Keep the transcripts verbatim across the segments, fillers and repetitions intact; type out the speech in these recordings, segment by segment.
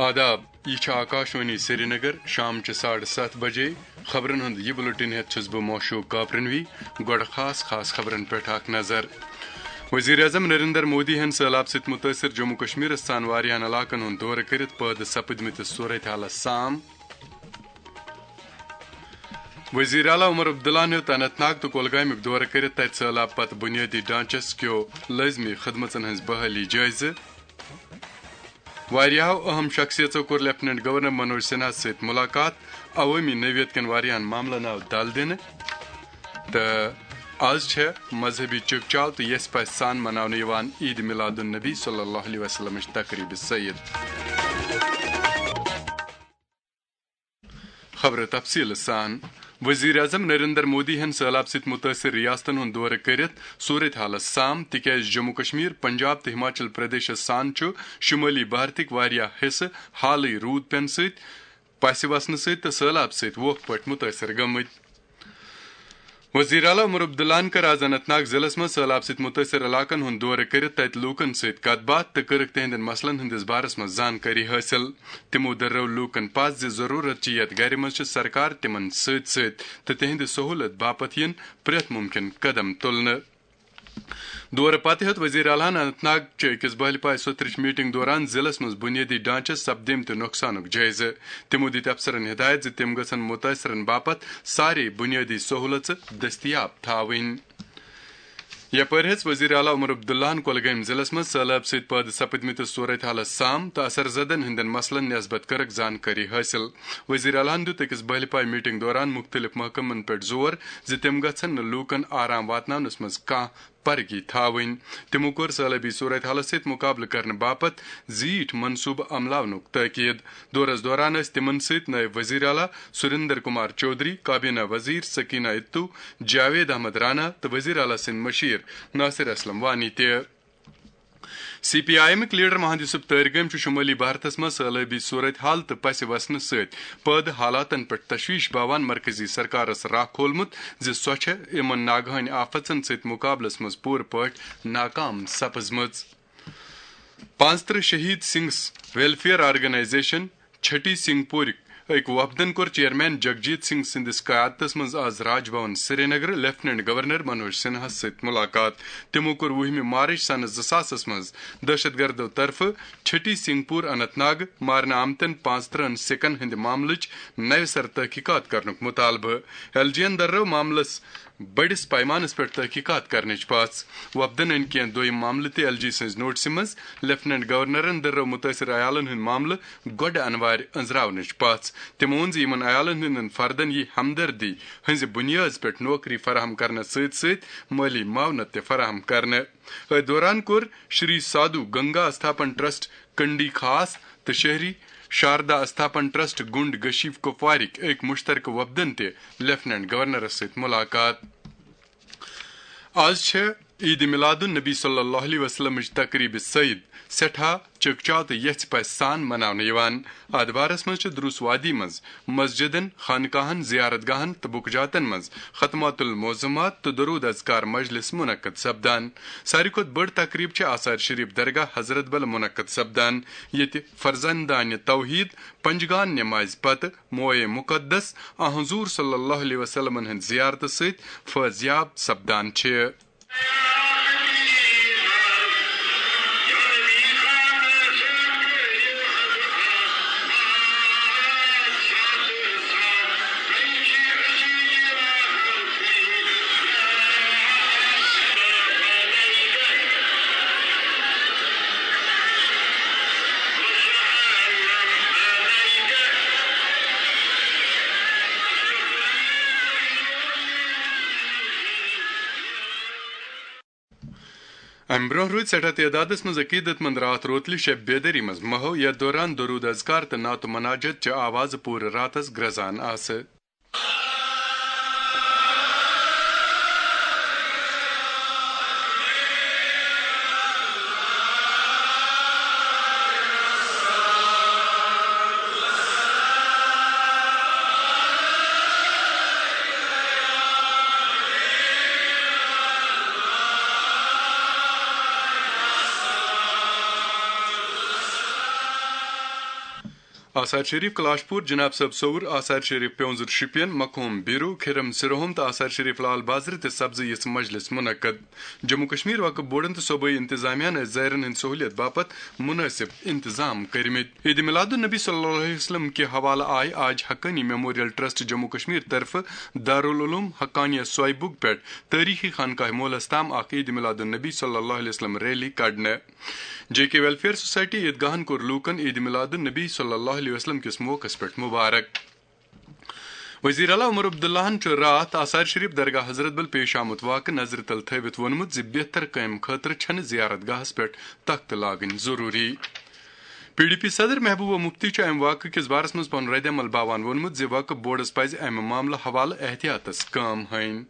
آداب، یہِ چھِ آکاشوانی سرینگر، شام چہِ ساڑٕ ستھ بجے۔ خبرن ہُنٛد یہِ بُلٹن ہٮ۪تھ چھُس بہٕ موشوق کاپرنوی۔ گۄڈٕ خاص خاص خبرن پٮ۪ٹھ اکھ نظر۔ وزیر اعظم نریندر مودی ہن سٔہلاب سۭتۍ مُتٲثر جموں کشمیرس سان واریاہن علاقن ہُنٛد دورٕ کٔرِتھ پٲدٕ سپٕدمٕتِس صورتحالس سام۔ وزیر اعلیٰ عمر عبداللہ ہن ہیوٚت اننت ناگ تہٕ کۄلگامیُک دورٕ کٔرِتھ تتہِ سٔہلاب پتہٕ بُنیٲدی ڈھانچس کیو لٲزمی خدمژن ہٕنٛز بحٲلی جٲیزٕ۔ واریاہو اہم شخصیژو کوٚر لیفٹیننٹ گورنر منوج سنہاہس سۭتۍ ملاقات، عوٲمی نوعیت کٮ۪ن واریاہن معاملن آو دل دِنہٕ، تہٕ آز چھےٚ مذہبی چکچاو تہٕ یژھِ پژھِ سان مناونہٕ یِوان عید میلاد النبی صلی اللہ علیہ وسلمٕچ تقریبِ سعید۔ خبرٕ تفصیٖلہٕ سان۔ وزیر اعظم نریندر مودی ہن سٔہلاب سۭتۍ مُتٲثر ریاستن ہُنٛد دورٕ کٔرِتھ صورت حالس سام، تِکیازِ جموں کشمیر، پنجاب تہٕ ہماچل پردیشس سان چھُ شمٲلی بھارتٕکۍ واریاہ حصہٕ حالٕے روٗد پٮ۪نہٕ سۭتۍ، پسہِ وسنہٕ سۭتۍ تہٕ سٔہلاب سۭتۍ ووکھٕ پٲٹھۍ مُتٲثر گٔمٕتۍ۔ وزیر اعلیٰ عمر عبداللہ ہن کٔر آز اننت ناگ ضلعس منٛز سٔہلاب سۭتۍ مُتٲثر علاقن ہُنٛد دورٕ کٔرِتھ تتہِ لوٗکن سۭتۍ کتھ باتھ تہٕ کٔرٕکھ تِہنٛدٮ۪ن مسلن ہٕنٛدِس بارس منٛز زانکٲری حٲصِل۔ تِمو دٔررٲو لوٗکن پژھ زِ ضروٗرت چھِ یتھ گرِ منٛز چھِ سرکار تِمن سۭتۍ سۭتۍ تہٕ تِہنٛدِ سہوٗلت باپتھ یِن پرٛٮ۪تھ مُمکِن قدم تُلنہٕ۔ دورٕ پتہٕ ہیوٚت وزیر اعلیٰ ہن اننت ناگ چہِ أکِس بہلہِ پایہِ سوٚتھرٕچ میٹنگ دوران ضلعس منٛز بُنیٲدی ڈھانچس سپدیمتہِ نۄقصانُک جٲیزٕ۔ تِمو دِتۍ افسرن ہدایت زِ تِم گژھن مُتٲثرن باپتھ سارے بُنیٲدی سہوٗلژٕ دٔستیاب تھاوٕنۍ۔ یپٲرۍ ہیٚژ وزیر اعلیٰ عمر عبداللہ ہن کۄلگٲمۍ ضلعس منٛز سٔہلاب سۭتۍ پٲدٕ سپدمٕتِس صورت حالس سام تہٕ اثر زدن ہٕنٛدٮ۪ن مسلن نسبت کٔرٕکھ زانکٲری حٲصِل۔ وزیر اعلیٰ ہن دیُت أکِس بہلہِ پایہِ میٹنگ دوران مُختٔلِف محکمن پٮ۪ٹھ زور زِ تِم گژھن نہٕ لوٗکن آرام واتناونس منٛز کانٛہہ پرگی تھاوٕنۍ۔ تِمو کوٚر سہلابی صورت حالس سۭتۍ مُقابلہٕ کرنہٕ باپتھ زیٖٹھۍ منصوٗبہٕ عملاونُک تٲکید۔ دورس دوران ٲسۍ تِمن سۭتۍ نٲیِب وزیر اعلیٰ سریندر کمار چودھری، کابینہ وزیر سکینہ اتو، جاوید احمد رانا تہٕ وزیر اعلیٰ سٕنٛدۍ مشیر ناصر اسلم وانی تہِ۔ سی پی آئی ایمٕکۍ لیڈر مہند یوسف تٲرگٲمۍ چھُ شمٲلی بھارتس منٛز سہلابی صورت حال تہٕ پسہِ وسنہٕ سۭتۍ پٲدٕ حالاتن پٮ۪ٹھ تشویش باوان مرکزی سرکارس راہ کھولمُت زِ سۄ چھےٚ یِمن ناگہٲنی آفژن سۭتۍ مُقابلس منٛز پوٗرٕ پٲٹھۍ ناکام سپٕزمٕژ۔ پانٛژترٕہ شہید سنگھ ویلفیئر آرگنائزیشن چھٹی سنگھ پورٕکۍ أکۍ وفدن کوٚر چیئرمین جگجیت سنگھ سٕنٛدِس قیادتس منٛز آز راج بھون سرینگر لیفٹیننٹ گورنر منوج سنہاہس سۭتۍ مُلاقات۔ تِمو کوٚر وُہمہِ مارچ سنہٕ زٕ ساسس منٛز دہشت گردو طرفہٕ چھٹی سنگھ پور اننت ناگ مارنہٕ آمتٮ۪ن پانٛژترٕہن سِکن ہٕنٛدِ معاملٕچ نوِ سرٕ تحقیقات کرنُک مُطالبہٕ۔ ایل جی یَن دٔررٲو معاملس بٔڑِس پیمانس پٮ۪ٹھ تحقیقات کرنٕچ پژھ۔ وفدن أنۍ کینٛہہ دوٚیم معاملہٕ تہِ ایل جی سٕنٛزِ نوٹسہِ منٛز۔ لیفٹیننٹ گورنرن دٔررٲو مُتٲثر عیالن ہُنٛد معاملہٕ گۄڈٕ انوارِ أنٛزراونٕچ پژھ۔ تِمو ووٚن زِ یِمن عیالن ہٕنٛدٮ۪ن فردن یِیہِ ہمدردی ہٕنٛزِ بُنیٲدۍ پٮ۪ٹھ نوکری فراہم کرنس سۭتۍ سۭتۍ مٲلی معاونت تہِ فراہم کرنہٕ۔ أتھۍ دوران کوٚر شری سادھو گنگا استھاپن ٹرسٹ کنڈی خاص تہٕ شہری شاردا استھاپن ٹرسٹ گنڈ گشیف کپوارٕکۍ أکۍ مشترکہٕ وفدن تہِ لیفٹیننٹ گورنرس سۭتۍ مُلاقات۔ آز چھےٚ عید میلاد النبی صلی اللہ علیہ وسلمٕچ تقریب سعید سٮ۪ٹھاہ چکچاو تہٕ یژھِ پژھِ سان مناونہٕ یِوان۔ اتھ بارس منٛز چھِ دروس وادی منٛز مسجدن، خانقاہن، زیارت گاہن تہٕ بُکجاتن منٛز ختمات المعظمات تہٕ درود اذکار مجلس منعقد سپدان۔ ساروی کھۄتہٕ بٔڑ تقریب چھِ آثار شریف درگاہ حضرت بل منعقد سپدان، ییٚتہِ فرزندانِ توحید پنجگان نمازِ پتہٕ موئے مقدس آ حضور صلی اللہ علیہ وسلمن ہٕنٛدِ زیارتہٕ سۭتۍ فٲضیاب سپدان چھِ۔ امہِ برونٛہہ روٗدۍ سٮ۪ٹھاہ تعدادس منٛز عقیدت مند راتھ روتلہِ شب بیدٲری منٛز محو، یتھ دوران درود اذکار تہٕ نعت و مناجت چہِ آوازٕ پوٗرٕ راتس گرٛزان آسہٕ۔ آثار شریف کلاش پور، جناب صٲب صوُر، آثار شریف پیونزر شپین، مقہوم بیرو، کھرم سرہوم تہٕ آثار شریف لال بازرٕ تہِ سپزٕ یِژھ مجلس منعقد۔ جموں کشمیر وقف بورڈن تہٕ صوبٲئی انتظامیہ ہن ٲسۍ زائرن ہٕنٛدِ سہولیت باپتھ مناسب انتظام کٔرمٕتۍ۔ عید میلاد النبی صلی اللہ علیہ وسلم کہِ حوالہٕ آیہِ آج حقانی میموریل ٹرسٹ جموں کشمیر طرفہٕ دارالعلوم حقانیہ سویبُک پٮ۪ٹھ تٲریخی خانقاہ مولس تام اکھ عید میلاد النبی صلی اللہ علیہ وسلم ریلی کڑنہٕ۔ جے کے ویلفیئر سوسائٹی عیدگاہن کوٚر لوٗکن عید میلاد النبی صلی اللہ علیہ وسلم کِس موقعس پٮ۪ٹھ مبارک۔ وزیر اعلیٰ عمر عبداللہن چھُ راتھ آثار شریف درگاہ حضرت بل پیش آمُت واقعہٕ نظرِ تل تھٲوِتھ ووٚنمُت زِ بہتر کامہِ خٲطرٕ چھنہٕ زیارت گاہس پٮ۪ٹھ تختہٕ لاگٕنۍ ضروٗری۔ پی ڈی پی صدر محبوبہ مفتی چھُ امہِ واقعہٕ کِس بارس منٛز پنُن رد عمل باوان ووٚنمُت زِ وقف بورڈس پزِ امہِ معاملہٕ حوالہٕ احتیاطس کٲم ہٲوِن۔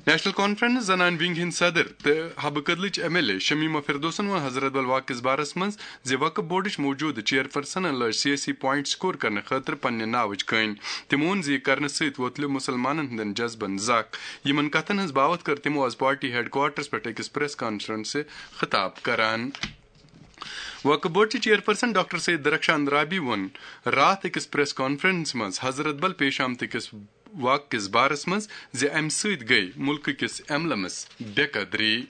نیشنل کانفرنس زنان ونگ ہٕنٛدۍ صدر تہٕ حبہٕ کدلٕچ ایم ایل اے شمیمہ فردوسن ووٚن حضرت بل واقعہٕ کِس بارس منٛز زِ وقف بورڈٕچ موجودٕ چیئرپرسنن لٲج سیٲسی پوائنٹ سکور کرنہٕ خٲطرٕ پننہِ ناوٕچ کٲنۍ۔ تِمو ووٚن زِ یہِ کرنہٕ سۭتۍ ووتلیو مُسلمانن ہٕنٛدٮ۪ن جذبن زکھ۔ یِمن کتھن ہٕنٛز باوتھ کٔر تِمو آز پارٹی ہیڈ کوارٹرس پٮ۪ٹھ أکِس پریس کانفرنسہِ خطاب کران۔ وقف بورڈ چہِ چیئرپرسن ڈاکٹر سید درخشان رابی ووٚن راتھ أکِس پریس کانفرنس منٛز حضرت بل پیش آمتہٕ کِس واقعہٕ کِس بارس منٛز زِ امہِ سۭتۍ گٔیہِ مُلکہٕ کِس ایمبلمس بے قدری۔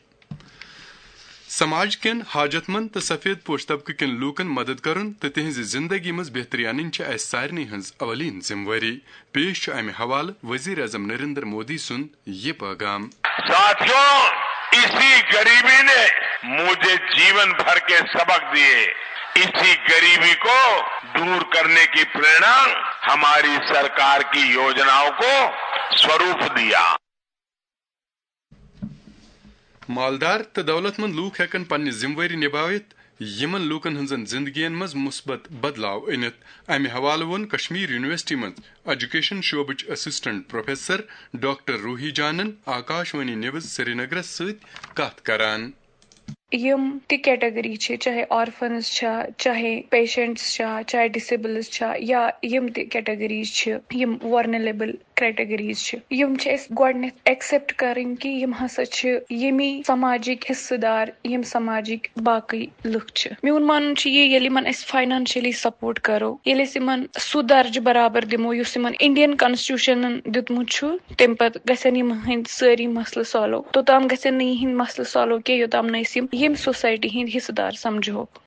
سماج کٮ۪ن حاجت مند تہٕ سفید پوش طبقہٕ کٮ۪ن لوٗکن مدد کرُن تہٕ تِہنٛزِ زندگی منٛز بہتری انٕنۍ چھِ اسہِ سارنٕے ہٕنٛز اولین ذمہٕ وٲری۔ پیش چھُ امہِ حوالہٕ وزیر اعظم نریندر مودی سُنٛد یہِ پیغام۔ साथियों, इसी गरीबी ने मुझे जीवन भर के सबक दिए। इसी गरीबी को दूर करने की प्रेरणा हमारी सरकार की योजनाओं को स्वरूप दिया। مالدار تہٕ دولت مند لوٗکھ ہٮ۪کن پننہِ ذمہٕ وٲری نبٲوِتھ، یِمن لوٗکن ہٕنٛزن زندگین منٛز مثبت بدلاو أنِتھ۔ امہِ حوالہٕ ووٚن کشمیر یونیورسٹی منٛز ایجوکیشن شعبٕچ اسسٹنٹ پروفیسر ڈاکٹر روحی جانن آکاش وانی نیوز سرینگرس سۭتۍ کتھ کران۔ یِم تہِ کیٹیگری چھِ، چاہے آرفنز چھا، چاہے پیشنٹس چھا، چاہے ڈسیبلز چھا، یا یِم تہِ کیٹیگریز چھِ، یِم ورنلیبل کیٹیگریز چھِ، یِم چھِ اَسہِ گۄڈٕنٮ۪تھ ایکسپٹ کرٕنۍ کہِ یِم ہسا چھِ ییٚمی سماجِکۍ حصہٕ دار، یِم سماجِکۍ باقٕے لُکھ چھِ۔ میون مانُن چھُ یہِ، ییٚلہِ یِمن أسۍ فاینانشلی سپورٹ کرو، ییٚلہِ أسۍ یِمن سُہ درجہٕ برابر دِمو یُس یِمن انڈین کانسٹیٹیوشنن دیُتمُت چھُ، تَمہِ پتہٕ گژھن یِم ہٕنٛدۍ سٲری مسلہٕ سالو۔ توٚتام گژھن نہٕ یِہٕنٛدۍ مسلہٕ سالو کینٛہہ، یوٚتام نہٕ أسۍ یِم ییٚمہِ سوسایٹی ہٕنٛدۍ حصہٕ دار سمجھوکھ۔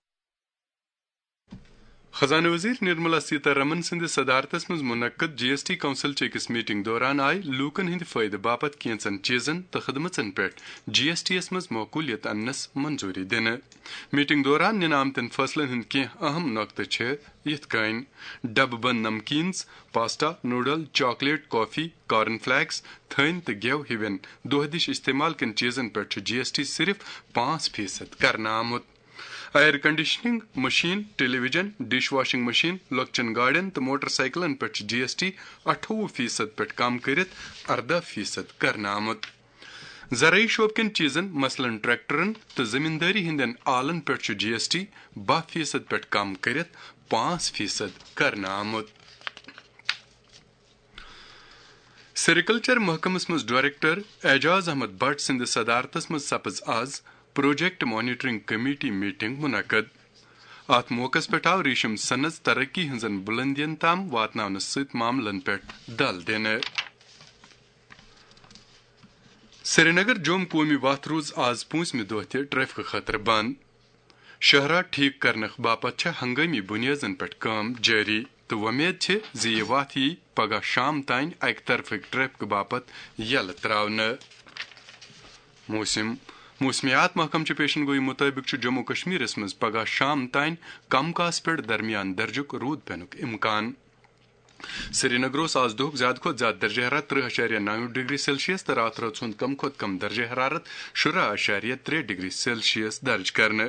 خزانہٕ وزیر نرملا سیتارمن سٕنٛدِ صدارتس منٛز منعقد جی ایس ٹی کونسل چہِ أکِس میٹنگ دوران آیہِ لوٗکن ہٕنٛدِ فٲیدٕ باپتھ کینٛژن چیٖزن تہٕ خدمژن پٮ۪ٹھ جی ایس ٹی یَس منٛز معقولیت اننس منظوٗری دِنہٕ۔ میٹنگ دوران نِنہٕ آمتٮ۪ن فٲصلن ہٕنٛدۍ کینٛہہ اہم نۄقطہٕ چھِ یِتھ کٔنۍ: ڈبہٕ بند نمکینز، پاسٹا، نوڈل، چاکلیٹ، کافی، کارن فلیکس، تھٔنۍ تہٕ گٮ۪و ہِوٮ۪ن دۄہ دِش استعمال کٮ۪ن چیٖزن پٮ۪ٹھ چھُ جی ایس ٹی صرف پانٛژھ فیصد کرنہٕ آمُت۔ ایئر کنڈیشننگ مشین، ٹیلی ویژن، ڈش واشنگ مشین، لۄکچٮ۪ن گاڑٮ۪ن تہٕ موٹر سائیکلن پٮ۪ٹھ چھُ جی ایس ٹی اَٹھووُہ فیصد پٮ۪ٹھ کم کٔرِتھ اَرداہ فیصد کرنہٕ آمُت۔ زرعی شعبہٕ کٮ۪ن چیٖزن، مثلاً ٹریکٹرن تہٕ زمیندٲری ہٕنٛدٮ۪ن آلن پٮ۪ٹھ چھُ جی ایس ٹی باہ فیصد پٮ۪ٹھ کم کٔرِتھ پانٛژھ فیصد کرنہٕ آمُت۔ سیریکلچر محکمس منٛز ڈائریکٹر اعجاز احمد بٹ سٕنٛدِ صدارتس منٛز سپٕز آز پروجیکٹ مانیٹرنگ کمیٹی میٹنگ منعقد۔ اتھ موقعس پٮ۪ٹھ آو ریشم صنعت ترقی ہٕنٛزن بلندین تام واتناونس سۭتۍ معاملن پٮ۪ٹھ دل دِنہٕ۔ سرینگر جوم قومی وتھ روٗز آز پوٗنٛژمہِ دۄہ تہِ ٹریفکہٕ خٲطرٕ بنٛد۔ شاہراہ ٹھیک کرنہٕ باپتھ چھےٚ ہنگٲمی بُنیٲدن پٮ۪ٹھ کٲم جٲری تہٕ وۄمید چھِ زِ یہِ وتھ یِیہِ پگاہ شام تام اکہِ طرفٕکۍ ٹریفکہٕ باپتھ یلہٕ تراونہٕ۔ موسم۔ موسمیات محکمہٕ چہِ پیشن گویی مُطٲبِق چھُ جموں کشمیرس منٛز پگاہ شام تام کم کاس پٮ۪ٹھ درمیان درجُک روٗد پینُک امکان۔ سرینگر اوس آز دۄہُک زیادٕ کھۄتہٕ زیادٕ درجہ حرارت ترٕہ اَشاریہ نَو ڈگری سیلسیس تہٕ راتھ رٲژ ہُنٛد کم کھۄتہٕ کم درجہ حرارت شُراہ اَشاریہ ترٛےٚ ڈگری سیلسیس درج کرنہٕ۔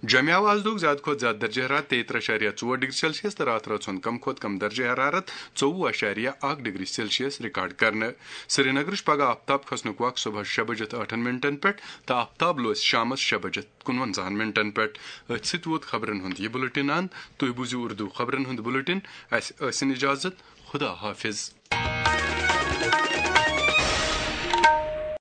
جمعہ آو آز دۄہُک زیادٕ کھۄتہٕ زیادٕ درجہ حرارت تیٚیہِ ترٕہ اَشاریہ ژور ڈگری سیلسیس تہٕ راتھ رٲژ ہُنٛد کم کھۄتہٕ کم درجہ حرارت ژوٚوُہ اَشاریہ اکھ ڈگری سیلسیس ریکارڈ کرنہٕ۔ سرینگرٕچ پگاہ آفتاب کھسنُک وقت صبحس شےٚ بجے تہٕ ٲٹھن منٹن پٮ۪ٹھ تہٕ آفتاب لوسہِ شامس شےٚ بجے کُنوَنزاہن منٹن پٮ۪ٹھ۔ أتھۍ سۭتۍ ووت خبرن ہُنٛد یہِ بُلٹن اند۔ تُہۍ بوٗزِو اردو خبرن ہُنٛد بُلٹن۔ اسہِ ٲسِن اجازت۔ خدا حافظ۔